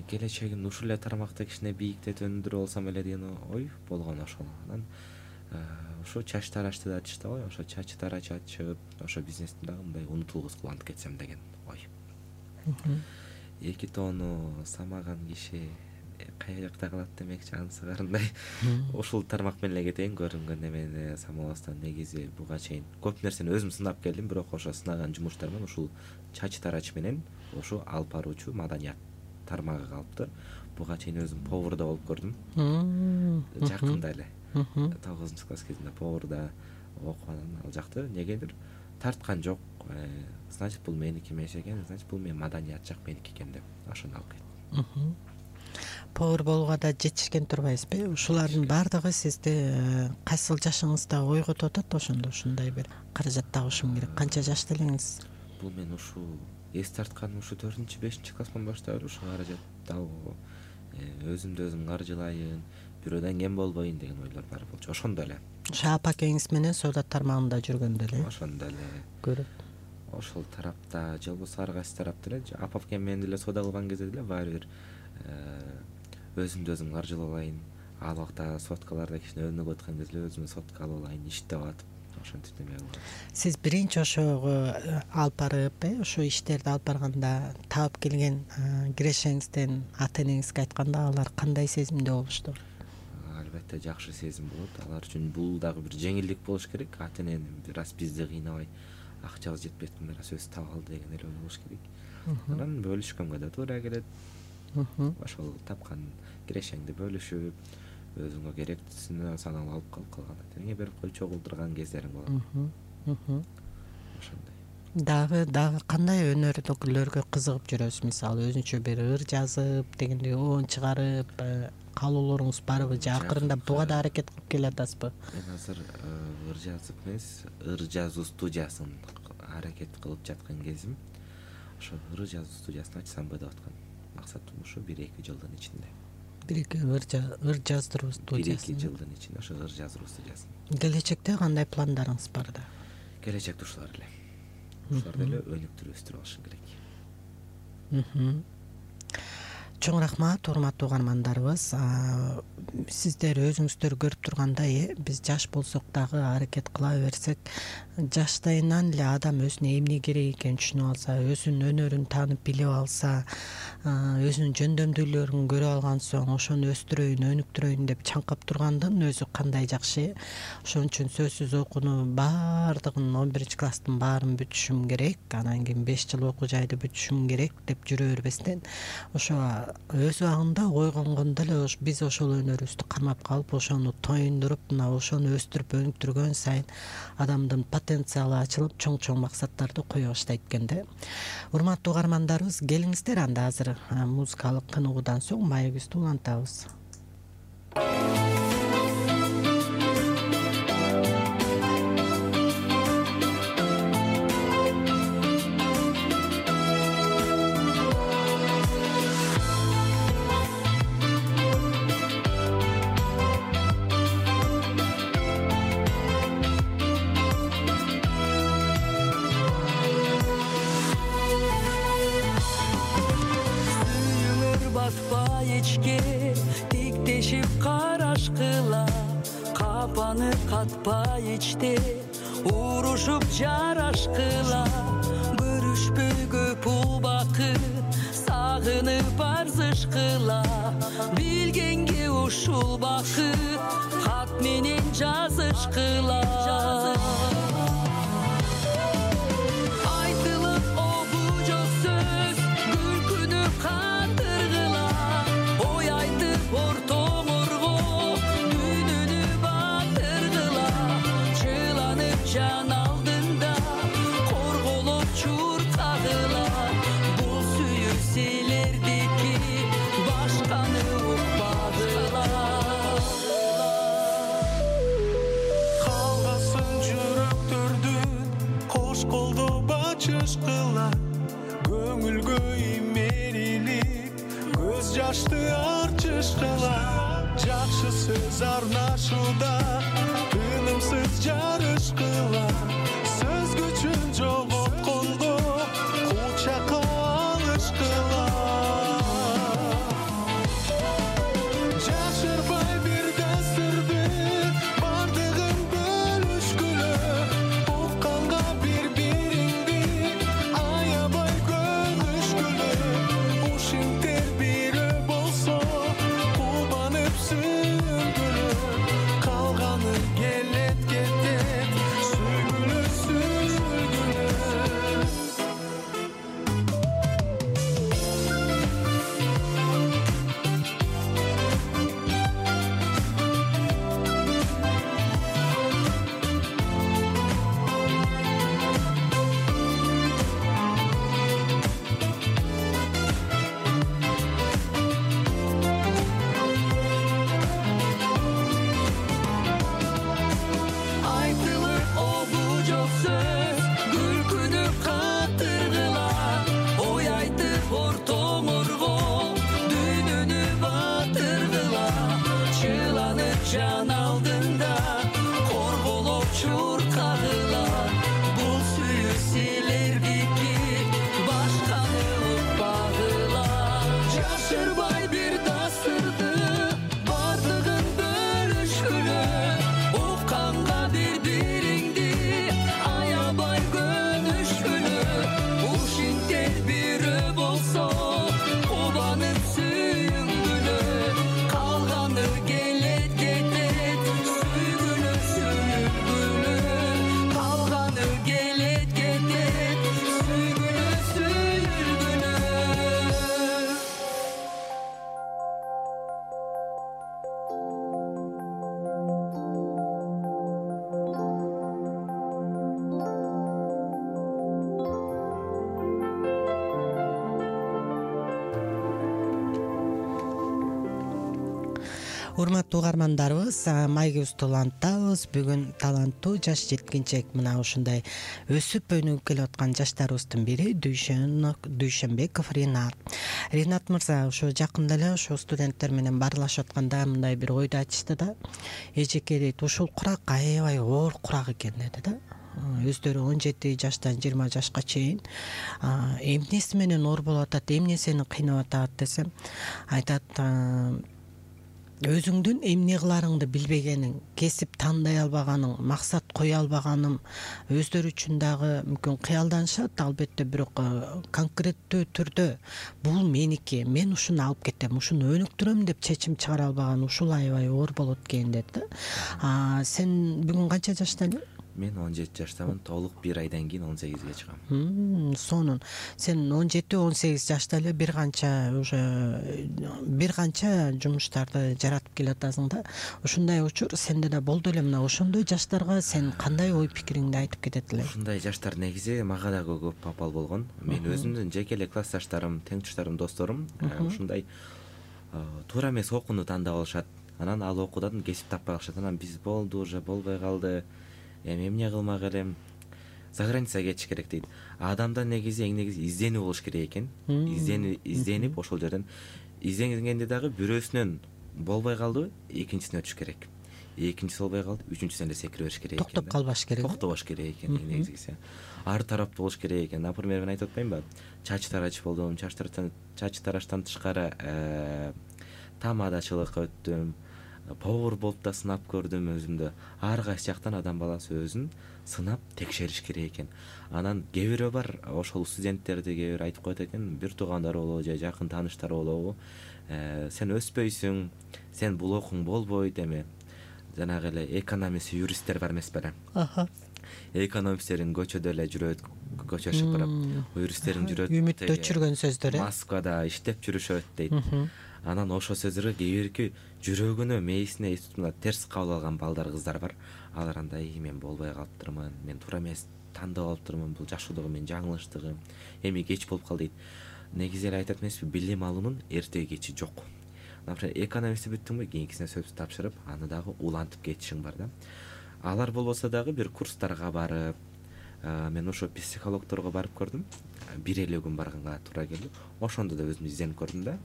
Келечегим ушул эле тармакта кичине бийиктетүүндөр болсом эле деген ой болгон ошол. Анан ошо чач тарачты да айтышты го, ошо чач тарач ачып, ошо бизнести дагы мындай унутулгус кылып кетсем деген ой. Эки тоону самаган киши кая жакта калат демекчи, анысы карындай. Ушул тармак менен эле кетейин, көрүнгөн эмени самабастан. Негизи буга чейин көп нерсени өзүм сынап келдим, бирок ошо сынаган жумуштарымын ушул чач тарач менен ошо алып баруучу маданият тармагы калыптыр. Буга чейин өзүм поварда болуп көрдүм. Жакында эле. тогузунчу класс кезинде поварда окуп анан ал жакты негедир тарткан жок. Значит, бул меники эмес экен, значит, бул менин маданият жак меники экен деп ошону алып кеттим.
Повар болууга да жетишкен турбайсызбы? Ушулардын баардыгы сизди кайсыл жашыңызда ойготуп атат ошондо ушундай бир каражат табышым керек. Канча жашта элеңиз?
Бул мен ушу эс тартканым ушу төртүнчү бешинчи класстан баштап эле ушу каражат табуу, өзүмдү өзүм каржылайын, бирөөдөн кем болбоюн деген ойлор бар болчу. Ошондо эле.
Ошо апакеңиз менен соода тармагында жүргөндө эле?
Ошондо эле.
Көрөт.
Ошол тарапта же болбосо ар кайсы тарапта эле апакем менен деле соода кылган кезде деле баары бир өзүмдү өзүм каржылап алайын. Ал убакта соткаларда кичине өнүгүп аткан кезде өзүмө сотка алып алайын, иштеп атып, ошентип неме кылгам.
Сиз биринчи ошого алып барып, э, ошо иштерди алып барганда таап келген кирешеңизден ата энеңизге айтканда алар кандай сезимде болушту?
Албетте жакшы сезим болот. Алар үчүн бул дагы бир жеңилдик болуш керек. Ата энени бир аз бизди кыйнабай, акчабыз жетпей атканда бир аз өзү таап алды деген эле ой болуш керек. Анан бөлүшкөнгө да туура келет. Ошол тапкан кирешеңди бөлүшүп, өзүңө керектисин саналып алып калып калган атеңе берип кой чогултурган кездерим болот. Ошондой.
Дагы дагы кандай өнөрдөгүлөргө кызыгып жүрөсүз? Мисалы, өзүнчө бир ыр жазып, дегендей оон чыгарып, каалоолоруңуз барбы же акырында буга да аракет кылып келе атасызбы?
Мен азыр ыр жазып эмес, ыр жазуу студиясын аракет кылып жаткан кезим. Ошо ыр жазуу студиясын ачсамбы деп аткан. Максатым ушу бир-эки жылдын ичинде.
бир-эки ыр жаздыруу студиясы.
бир-эки жылдын ичинде ошо ыр жаздыруу студиясын.
Келечекте кандай пландарыңыз бар да?
Келечекте ушулар эле. Ушуларды эле өнүктүрүп өстүрүп алышым керек. Чоң
рахмат, урматтуу угармандарыбыз. Сиздер өзүңүздөр көрүп тургандай, биз жаш болсок дагы аракет кыла берсек, жаштайынан эле адам өзүнө эмне керек экенин түшүнүп алса, өзүнүн өнөрүн таанып билип алса, өзүнүн жөндөмдүүлөрүн көрүп алган соң ошону өстүрөйүн, өнүктүрөйүн деп чаңкап тургандын өзү кандай жакшы. Ошон үчүн сөзсүз окууну баардыгын он биринчи класстын баарын бүтүшүм керек, анан кийин беш жыл окуу жайды бүтүшүм керек деп жүрө бербестен, ошо өз убагында ойгонгондо эле биз ошол өнөрүбүздү камап калып, ошону тоюндуруп, мына ошону өстүрүп өнүктүргөн сайын адамдын потенциалы ачылып, чоң-чоң максаттарды кое баштайт экен да. Урматтуу угармандарыбыз, келиңиздер анда азыр музыкалык кыныгуудан соң маегибизди улантабыз.
Катпай ичте урушуп жарашкыла, көрүшпөй көп убакыт сагынып арзышкыла, билгенге ушул бакыт кат менен жазышкыла. Айтылып обу жок сөз күлкүнү кандыргыла, ой айтып ортоңорго жан алдында корголоп чуркагыла, бул сүйүүселердики башканы укпагыла.
Калгасын жүрөктөрдүн кош колдоо бачышкыла, көңүлгө имерилип көз жашты арчышкыла, жакшы сөз арнашууда тынымсыз жарышкыла, сөз күчүн жоготкондо кучакка алышкыла. Жашырбай бир дәстүрдү бардыгын бөлүшкүлө, укканга бири-бириңди аябай көгүшкүлө, ушинтер бирөө болсо кубанып сүнгүлө, калганы келет кетет
Урматтуу угармандарыбыз, Майгыбызды улантабыз. Бүгүн таланттуу жаш жеткинчек мына ушундай өсүп өнүгүп келе аткан жаштарыбыздын бири Дүйшөнбеков Ринат. Ринат мырза ошо жакында эле ошо студенттер менен баарлашып атканда мындай бир ойду айтышты да. Эжеке дейт, ушул курак аябай оор курак экен деди да. Өздөрү он жети жаштан жыйырма жашка чейин эмнеси менен оор болуп атат, эмне сени кыйнап атат десем, айтат, өзүңдүн эмне кыларыңды билбегениң, кесип тандай албаганың, максат кое албаганым, өздөрү үчүн дагы мүмкүн кыялданышат, албетте, бирок конкреттүү түрдө бул меники, мен ушуну алып кетем, ушуну өнүктүрөм деп чечим чыгара албаган, ушул аябай оор болот экен деди да. Сен бүгүн канча жашта элең?
Мен он жети жаштамын, толук бир айдан кийин он сегизге чыгам.
Сонун. Сен он жети он сегиз жашта эле бир канча уже бир канча жумуштарды жаратып келатасың да. Ушундай учур сенде да болду эле. Мына ошондой жаштарга сен кандай ой пикириңди айтып кетет элең?
Ушундай жаштар негизи мага да көп попал болгон. Мен өзүмдүн жеке эле классташтарым, теңтуштарым, досторум ушундай туура эмес окууну тандап алышат. Анан ал окуудан кесип таппай калышат. Анан биз болду, уже болбой калды. Эми эмне кылмак элем? За границага кетиш керек дейт. Адамда негизи эң негизи изденүү болуш керек экен. Изденүү, изденип ошол жерден изденгенде дагы бирөөсүнөн болбой калдыбы, экинчисине өтүш керек. Экинчиси болбой калды, үчүнчүсүнө эле секире бериш керек экен.
Токтоп калбаш керек.
Токтобош керек экен эң негизгиси. Ар тараптуу болуш керек экен. Например, мен айтып атпаймынбы? Чач тарач болдум, чач тараштан чач тараштан тышкары тамадачылыкка өттүм. Повар болуп да сынап көрдүм өзүмдү. Ар кайсы жактан адам баласы өзүн сынап текшериш керек экен. Анан кээ бирөө бар, ошол студенттерди кээ бир айтып коет экен, бир туугандары болобу же жакын тааныштары болобу, сен өспөйсүң, сен бул окууң болбойт эми. Жанагы эле экономист, юристтер бар эмес беле? Экономисттерин көчөдө эле жүрөт, көчөшүп барып, юристтерин жүрөт.
Үмүттө өчүргөн сөздөр, э?
Москвада иштеп жүрүшөт дейт. Анан ошол сөздөргө кээ бирки жүрөгүнө, мээсине мына терс кабыл алган балдар, кыздар бар. Алар андай, мен болбой калыптырмын, мен туура эмес тандап алыптырмын, бул жашоодогу менин жаңылыштыгым, эми кеч болуп калды дейт. Негизи эле айтат эмеспи, билим алуунун эртеги кечи жок. Например, экономистти бүттүңбү, кийинкисине сөз тапшырып, аны дагы улантып кетишиң бар да. Алар болбосо дагы бир курстарга барып, мен ошо психологторго барып көрдүм. Бир элүү күн барганга туура келди. Ошондо да өзүм изденип көрдүм да.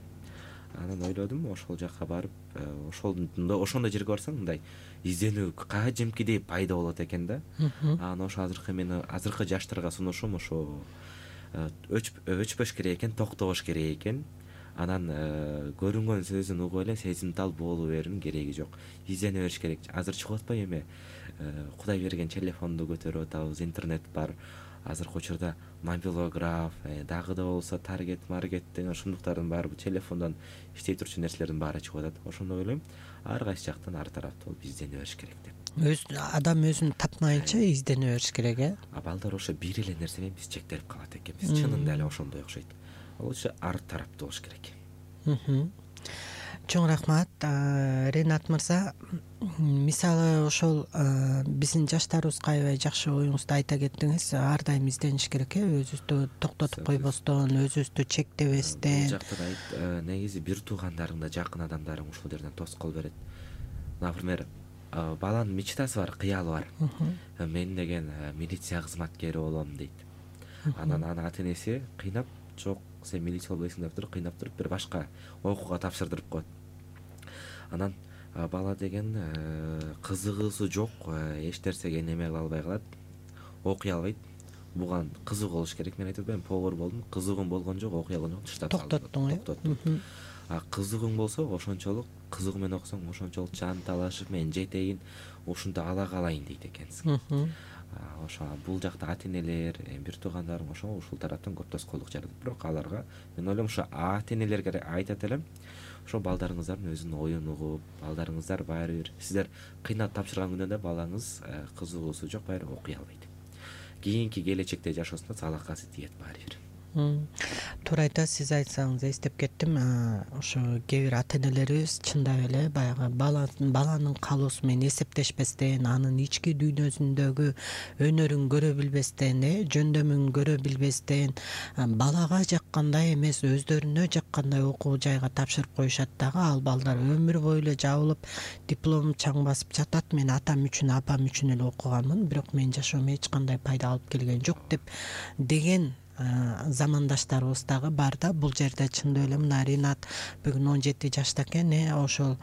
Анан ойлодум, ошол жакка барып, ошондо ошондой жерге барсаң, мындай изденүү кажимкидей пайда болот экен да. Анан ошо азыркы мен азыркы жаштарга сунушум ошо өчпөш керек экен, токтобош керек экен. Анан көрүнгөн сөзүн угуп эле сезимтал боло берүүнүн кереги жок. Издене бериш керек. Азыр чыгып атпайбы эми? Кудай берген телефонду көтөрүп атабыз, интернет бар. Азыркы учурда мобилограф, дагы да болсо таргет, маркет деген ушундуктардын баары бул телефондон иштей турчу нерселердин баары чыгып атат. Ошондо ойлойм, ар кайсы жактан ар тараптуу болуп издене бериш керек деп.
Өз адам өзүн тапмайынча издене бериш керек, э?
А балдар ошо бир эле нерсе менен биз чектелип калат экенбиз. Чынында эле ошондой окшойт. Ал үчүн ар тараптуу болуш керек.
Чоң рахмат, Ринат мырза. Мисалы ошол биздин жаштарыбызга аябай жакшы оюңузду айта кеттиңиз. Ар дайым издениш керек, э? Өзүбүздү токтотуп койбостон, өзүбүздү чектебестен.
Бул жакта да негизи бир туугандарың да, жакын адамдарың ушул жерден тоскоол берет. Например, баланын мечтасы бар, кыялы бар. Мен деген милиция кызматкери болом дейт. Анан анын ата энеси кыйнап, жок, сен милиция болбойсуң деп туруп, кыйнап туруп бир башка окууга тапшырдырып коет. Анан бала деген кызыгуусу жок, эч нерсеге неме кыла албай калат, окуй албайт. Буга кызыгуу болуш керек. Мен айтып атпаймынбы, повар болдум, кызыгуум болгон жок, окуй алган жок, таштап салдым.
Токтоттуң,
токтоттум. А кызыгууң болсо, ошончолук кызыгуу менен окусаң, ошончолук жан талашып, мен жетейин, ушунду ала калайын дейт экенсиң. Ошо бул жакта ата энелер, бир туугандарым ошо ушул тараптан көп тоскоолдук жаратат. Бирок аларга мен ойлойм, ошо ата энелерге айтат элем, ошо балдарыңыздардын өзүнүн оюн угуп, балдарыңыздар баары бир сиздер кыйнап тапшырган күндө да балаңыз кызыгуусу жок, баары окуй албайт. Кийинки келечекте жашоосунда залакасы тиет баары бир.
туура айтасыз. Сиз айтсаңыз эстеп кеттим. Ошо кээ бир ата энелерибиз чындап эле баягы баланын каалоосу менен эсептешпестен, анын ички дүйнөсүндөгү өнөрүн көрө билбестен, э жөндөмүн көрө билбестен, балага жаккандай эмес өздөрүнө жаккандай окуу жайга тапшырып коюшат дагы. Ал балдар өмүр бою эле жабылып диплом чаң басып жатат. Мен атам үчүн, апам үчүн эле окуганмын, бирок менин жашоомо эч кандай пайда алып келген жок деп деген замандаштарыбыз дагы бар да. Бул жерде чындап эле мына Ринат бүгүн он жети жашта экен, э ошол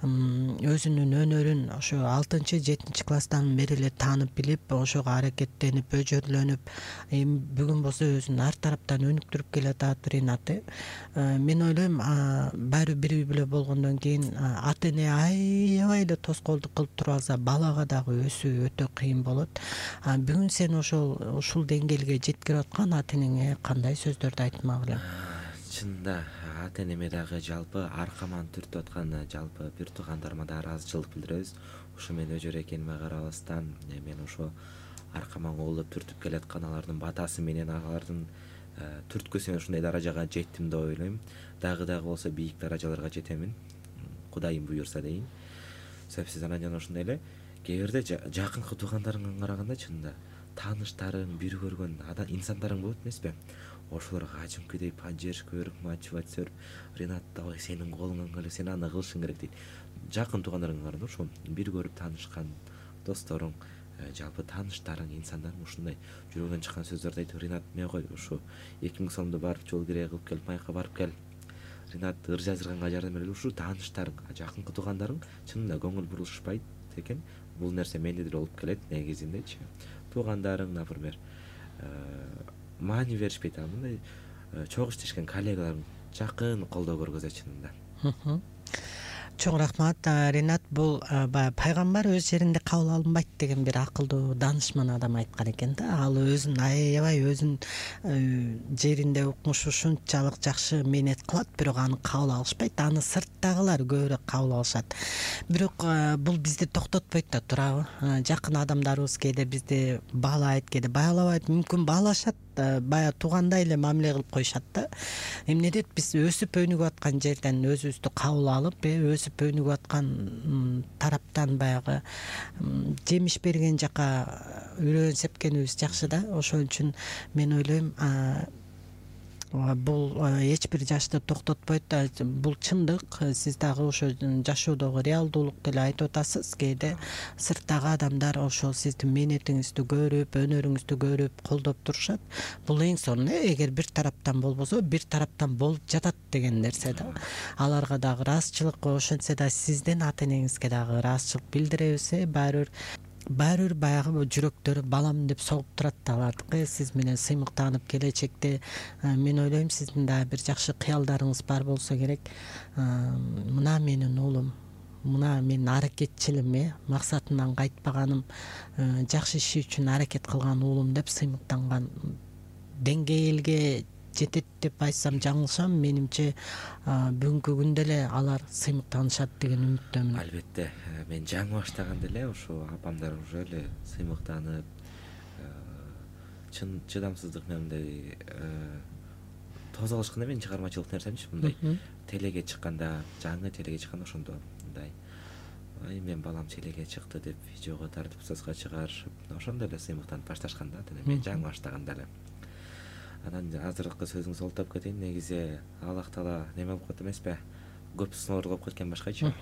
өзүнүн өнөрүн ошо алтынчы жетинчи класстан бери эле таанып билип, ошого аракеттенип, өжөрлөнүп, эми бүгүн болсо өзүн ар тараптан өнүктүрүп келатат Ринат. Мен ойлойм, баары бир үй бүлө болгондон кийин ата эне аябай эле тоскоолдук кылып туруп алса, балага дагы өсүү өтө кыйын болот. Бүгүн сен ошол ушул деңгээлге жеткирип аткан ата энеңе кандай сөздөрдү айтмак элең?
Чынында ата энеме дагы жалпы аркаман түртүп аткан жалпы бир туугандарыма да ыраазычылык билдиребиз. Ушу мен өжөр экениме карабастан мен ошо аркаман коолоп түртүп келаткан алардын батасы менен алардын түрткүсү менен ушундай даражага жеттим деп ойлойм. Дагы дагы болсо бийик даражаларга жетемин, Кудайым буйрса дейин. Себеби анан ошондой эле кээ бирде жакынкы туугандарыңа караганда чынында тааныштарың, бир көргөн инсандарың болот эмеспи? Ошолорго ажымкыдей поддержка берип, мотивация берип, Ринат давай сенин колуңан келет, сен аны кылышың керек дейт. Жакын туугандарыңа караганда ошо бир көрүп таанышкан досторуң, жалпы тааныштарың, инсандарың ушундай жүрөгүнөн чыккан сөздөрдү айтып, Ринат мен кой ушу эки миң сомду барып жол кирей кылып келип, майка барып кел. Ринат ыр жаздырганга жардам берели. Ушу тааныштарың, жакынкы туугандарың чынында көңүл бурушпайт экен. Бул нерсе менде деле болуп келет негизиндечи. Туугандарың, например, маани беришпейт, а мындай чогуу иштешкен коллегаларың жакын колдоо көргөзөт чынында.
Чоң рахмат Ринат. Бул баягы пайгамбар өз жеринде кабыл алынбайт деген бир акылдуу даанышман адам айткан экен да. Ал өзүн аябай өзүнүн жеринде укмуш ушунчалык жакшы мээнет кылат, бирок аны кабыл алышпайт. Аны сырттагылар көбүрөөк кабыл алышат. Бирок бул бизди токтотпойт да, туурабы? Жакын адамдарыбыз кээде бизди баалайт, кээде баалабайт, мүмкүн баалашат, баягы туугандай эле мамиле кылып коюшат да. Эмне дейт, биз өсүп өнүгүп аткан жерден өзүбүздү кабыл алып, өсүп өнүгүп аткан тараптан баягы жемиш берген жака үрөөн сепкенибиз жакшы да. Ошол үчүн мен ойлойм, бул эч бир жашты токтотпойт. Бул чындык. Сиз дагы ошо жашоодогу реалдуулук деле айтып атасыз. Кээде сырттагы адамдар ошол сиздин мээнетиңизди көрүп, өнөрүңүздү көрүп колдоп турушат. Бул эң сонун, эгер бир тараптан болбосо, бир тараптан болуп жатат деген нерсе да. Аларга дагы ыраазычылык, ошентсе да сиздин ата энеңизге дагы ыраазычылык билдиребиз. Баары бир баары бир баягы жүрөктөрү балам деп согуп турат да алардыкы. Сиз менен сыймыктанып келечекте мен ойлойм сиздин да бир жакшы кыялдарыңыз бар болсо керек. Мына менин уулум, мына менин аракетчилим, э максатынан кайтпаганым, жакшы иши үчүн аракет кылган уулум деп сыймыктанган деңгээлге жетет деп айтсам жаңылышам. Менимче бүгүнкү күндө эле алар сыймыктанышат деген үмүттөмүн.
Албетте, мен жаңы баштаганда эле ошо апамдар уже эле сыймыктанып, чын чыдамсыздык менен мындай тоза алышканда менин чыгармачылык нерсемчи, мындай телеге чыкканда, жаңы телеге чыкканда ошондо мындай ай мен балам телеге чыкты деп видеого тартып соцко чыгарышып, ошондо эле сыймыктанып башташкан да. Мен жаңы баштаганда эле. Анан азыркы сөзүңүздү олтоп кетейин. Негизи Аллах Таала неме болуп кетти эмеспи? Көп сыноолор кылып кеткен башкачы.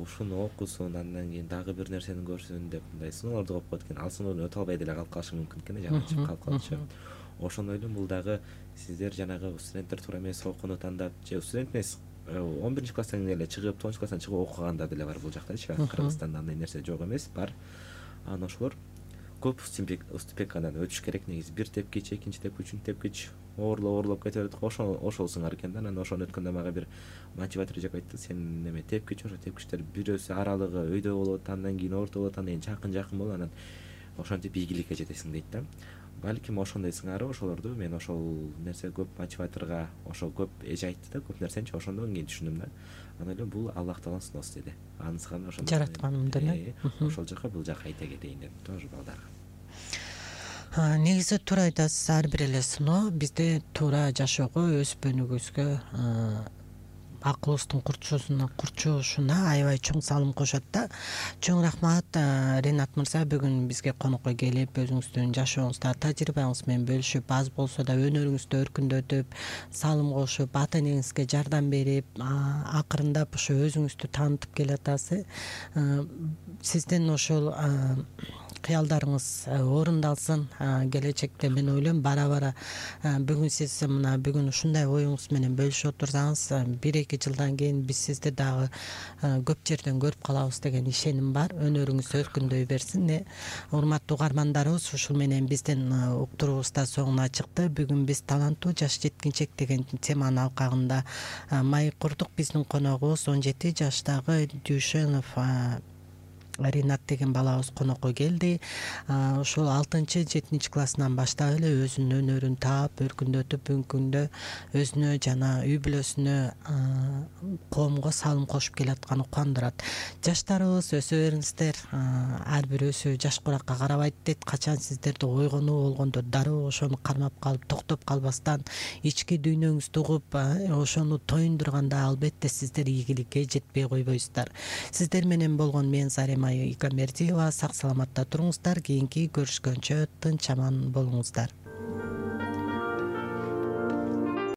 Ушуну окусун, андан кийин дагы бир нерсени көрсүн деп мындай сыноолорду коюп кеткен. Ал сыноодон өтө албай деле калып калышы мүмкүн экен, жаман калып калчу. Ошондой эле бул дагы сиздер жанагы студенттер туура эмес окууну тандап, же студент эмес, он биринчи класстан эле чыгып, тогузунчу класстан чыгып окугандар деле бар бул жактачы. Кыргызстанда андай нерсе жок эмес, бар. Анан ошолор көп уступекадан өтүш керек. Негизи бир тепкич, экинчи тепкич, үчүнчү тепкич оорлоп оорлоп кете берет. Ошол ошолсуңар экен да. Анан ошону өткөндө мага бир мотиватор жеп айтты: сен неме тепкич, ошо тепкичтер бирөөсү аралыгы өйдө болот, андан кийин орто болот, андан кийин жакын жакын болот, анан ошентип ийгиликке жетесиң дейт да. Балким ошондой сыңары ошолорду мен ошол нерсе көп мотиваторго ошол көп эже айтты да, көп нерсенчи. Ошондон кийин түшүндүм да. Анан эле бул Аллах Тааланын сыноосу деди. Анысыкан ошондо
жаратканымдан
ошол жака бул жака айта кетейин дедим тоже балдарга.
Негизи туура айтасыз, ар бир эле сыноо бизде туура жашоого, өспөнүбүзгө, акылыбыздын курчуусуна курчушуна аябай чоң салым кошот да. Чоң рахмат, Ринат мырза, бүгүн бизге конокко келип, өзүңүздүн жашооңузда тажрыйбаңыз менен бөлүшүп, аз болсо да өнөрүңүздү өркүндөтүп, салым кошуп, ата энеңизге жардам берип, акырындап ошо өзүңүздү таанытып келатасыз. Сиздин ошол кыялдарыңыз орундалсын. Келечекте мен ойлойм бара-бара бүгүн сиз мына бүгүн ушундай оюңуз менен бөлүшүп отурсаңыз, бир эки жылдан кийин биз сизди дагы көп жерден көрүп калабыз деген ишеним бар. Өнөрүңүз өркүндөй берсин. Урматтуу угармандарыбыз, ушул менен биздин уктуруубуз да соңуна чыкты. Бүгүн биз таланттуу жаш жеткинчек деген теманын алкагында маек курдук. Биздин коногубуз он жети жаштагы Дүйшөнов Ринат деген балабыз конокко келди. Ошол алтынчы жетинчи классынан баштап эле өзүнүн өнөрүн таап, өркүндөтүп, бүгүнкү күндө өзүнө жана үй бүлөсүнө, коомго салым кошуп келатканы кубандырат. Жаштарыбыз, өсө бериңиздер. Ар бир өсүү жаш куракка карабайт дейт. Качан сиздерде ойгонуу болгондо дароо ошону кармап калып, токтоп калбастан, ички дүйнөңүздү угуп, ошону тоюндурганда албетте сиздер ийгиликке жетпей койбойсуздар. Сиздер менен болгон мен Зарема Игамердиева. Сак саламатта туруңуздар. Кийинки көрүшкөнчө тынч аман болуңуздар.